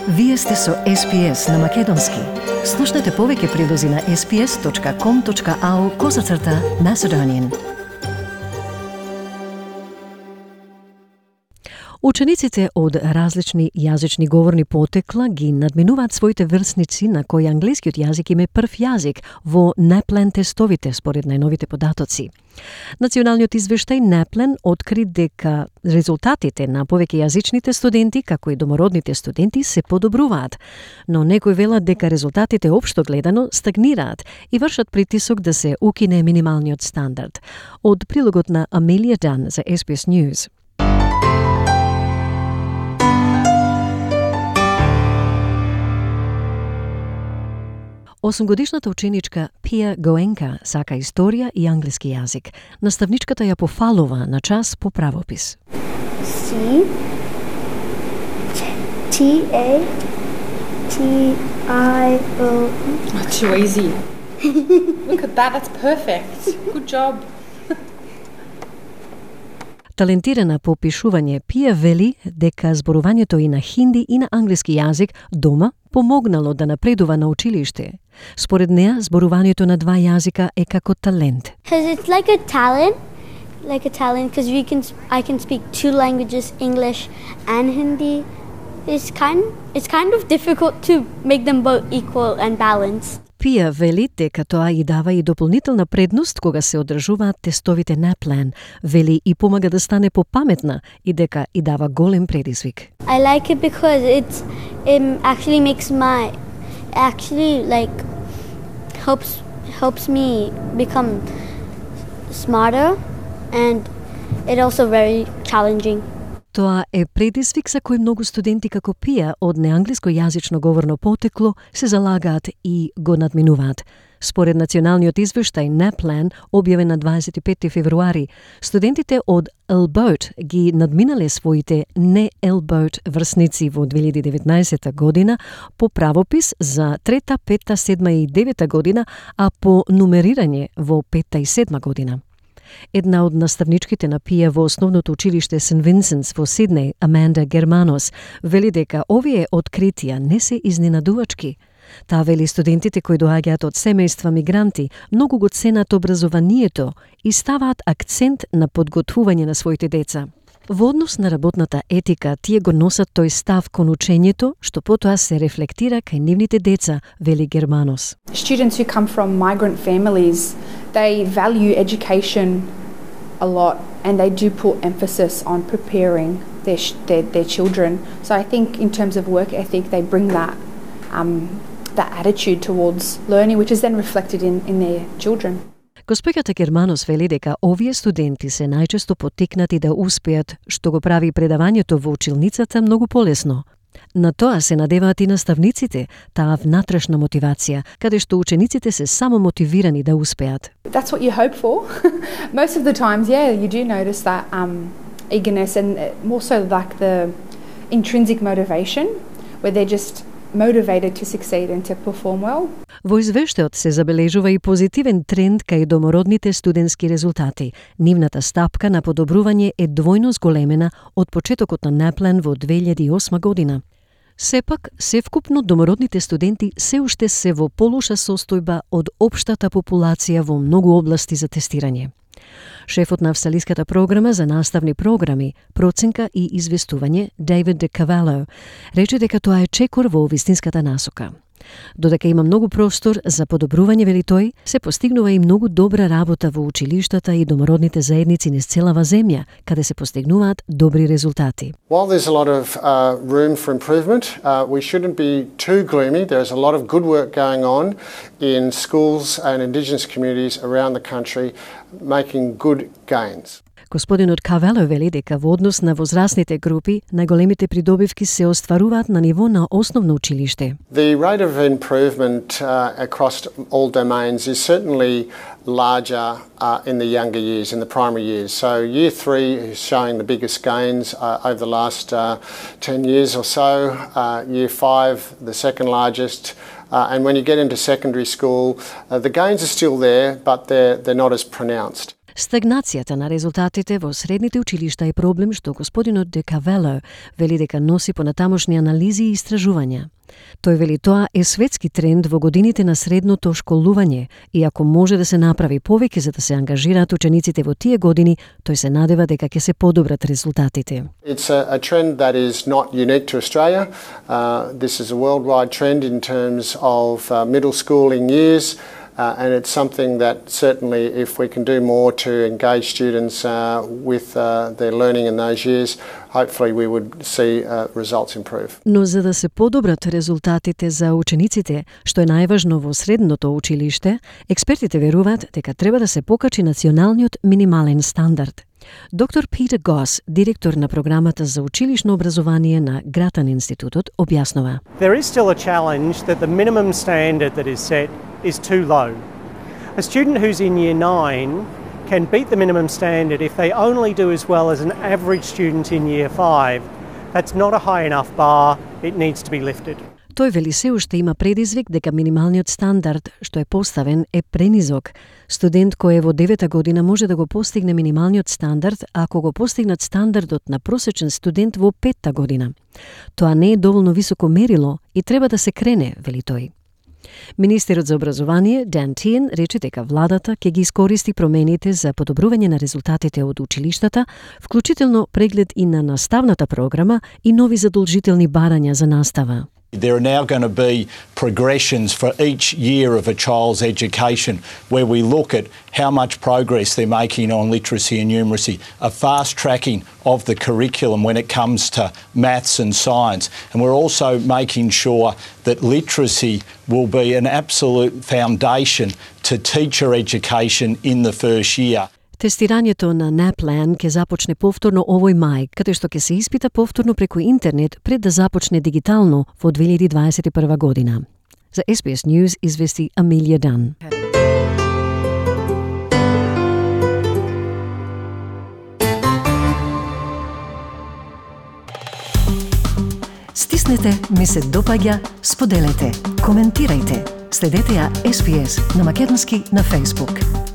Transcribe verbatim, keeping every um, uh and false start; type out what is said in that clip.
Вие сте со Ес Би Ес на Македонски. Слушнете повеќе прилози на ес би ес точка ком точка ау козацрта Macedonian. Учениците од различни јазични говорни потекла ги надминуваат своите врсници на кои англискиот јазик им е прв јазик во Напленд тестовите според најновите податоци. Националниот извештај Напленд откри дека резултатите на повеќе јазичните студенти, како и домородните студенти, се подобруваат, но некои велат дека резултатите општо гледано стагнираат и вршат притисок да се укине минималниот стандард. Од прилогот на Амелија Дан за Ес Би Ес News. Осумгодишната ученичка Пија Гоенка сака историја и англиски јазик. Наставничката ја пофалува на час по правопис. C T A T I O. Oh, too easy. Look at that, that's perfect. Good job. Талентирана по пишување, Пија вели дека зборувањето и на хинди и на англиски јазик дома помогнало да напредува на училиште. Според неа, зборувањето на два јазика е како талент. Because it's like a talent, like a talent, because we can, I can speak two languages, English and Hindi. It's kind, it's kind of difficult to make them both equal and balanced. Пија вели дека тоа и дава и дополнителна предност кога се одржуваат тестовите Напленд, вели и помага да стане попаметна и дека и дава голем предизвик. I like it because it's it actually makes my actually like helps helps me become smarter, and it also very challenging. Тоа е предизвик за кој многу студенти како Пија од неанглиско јазично говорно потекло се залагаат и го надминуваат. Според националниот извештај Напленд, објавен на дваесет и петти февруари, студентите од Елбоут ги надминале своите не Елбоут врсници во две илјади и деветнаесетта година по правопис за трета, петта, седма и девета година, а по нумерирање во петта и седма година. Една од наставничките на Пија во основното училиште Сент Винсентс во Сиднеј, Аманда Германос, вели дека овие откритија не се изненадувачки. Таа вели студентите кои доаѓаат од семејства мигранти многу го ценат образованието и ставаат акцент на подготвување на своите деца. Во однос на работната етика, тие го носат тој став кон учењето, што потоа се рефлектира кај нивните деца, вели Германос. Students who come from migrant families, they value education a lot, and they do put emphasis on preparing their their, their children. So I think in terms of work ethic, they bring that um, that attitude towards learning, which is then reflected in in their children. Госпоѓата Германос вели дека овие студенти се најчесто поттикнати да успеат, што го прави предавањето во училницата многу полесно. На тоа се надеваат и наставниците, таа внатрешна мотивација, каде што учениците се само мотивирани да успеат. That's what you hope for. Most of the times, yeah, you do notice that um, eagerness and more so like the intrinsic motivation, where they're just motivated to succeed and to perform well. Во извештајот се забележува и позитивен тренд кај домородните студентски резултати. Нивната стапка на подобрување е двојно зголемена од почетокот на Напленд во две илјади и осма година. Сепак, севкупно домородните студенти се уште се во полоша состојба од општата популација во многу области за тестирање. Шефот на австралиската програма за наставни програми, проценка и известување, Дейвид Де Кавало, рече дека тоа е чекор во вистинската насока. Додека има многу простор за подобрување, вели тој, се постигнува и многу добра работа во училиштата и домородните заедници низ целава земја, каде се постигнуваат добри резултати. While there's a lot of uh, room for improvement, uh, we shouldn't be too gloomy. There's a lot of good work going on in schools and Indigenous communities around the country making good gains. Господинот Кавело вели дека во однос на возрастните групи, најголемите придобивки се остваруваат на ниво на основно училиште. The rate of improvement uh, across all domains is certainly larger uh, in the younger years, in the primary years. So year three is showing the biggest gains uh, over the last uh, ten years or so. Uh, year five, the second largest. Uh, and when you get into secondary school, uh, the gains are still there, but they're, they're not as pronounced. Стагнацијата на резултатите во средните училишта е проблем што господинот Де Кавело вели дека носи понатамошни анализи и истражувања. Тој вели тоа е светски тренд во годините на средното школување и ако може да се направи повеќе за да се ангажираат учениците во тие години, тој се надева дека ќе се подобрат резултатите. It's a, a trend that is not unique to Australia. Uh, this is a worldwide trend in terms of uh, middle schooling years. Uh, and it's something that certainly if we can do more to engage students uh, with uh, their learning in those years, hopefully we would see uh, results improve. Но за да се подобрат резултатите за учениците, што е најважно во средното училиште, експертите веруваат дека треба да се покачи националниот минимален стандард. Доктор Питер Гос, директор на програмата за училишно образование на Гратан институтот, објаснува. There is still a challenge that the minimum standard that is set is too low. A student who's in year nine can beat the minimum standard if they only do as well as an average student in year five. That's not a high enough bar, it needs to be lifted. Тој вели се уште има предизвик дека минималниот стандард што е поставен е пренизок. Студент кој е во девета година може да го постигне минималниот стандард ако го постигнат стандардот на просечен студент во петта година. Тоа не е доволно високо мерило и треба да се крене, вели тој. Министерот за образование Дан Тиен рече дека владата ќе ги искористи промените за подобрување на резултатите од училиштата, вклучително преглед и на наставната програма и нови задолжителни барања за настава. There are now going to be progressions for each year of a child's education where we look at how much progress they're making on literacy and numeracy, a fast tracking of the curriculum when it comes to maths and science. And we're also making sure that literacy will be an absolute foundation to teacher education in the first year. Тестирањето на NAPLAN ќе започне повторно овој мај, каде што ќе се испита повторно преку интернет пред да започне дигитално во две илјади дваесет и прва година. За Ес Би Ес News извести Амилија Дан. Стиснете, ми се допаѓа, споделете, коментирајте. Следете ја Ес Би Ес на македонски на Facebook.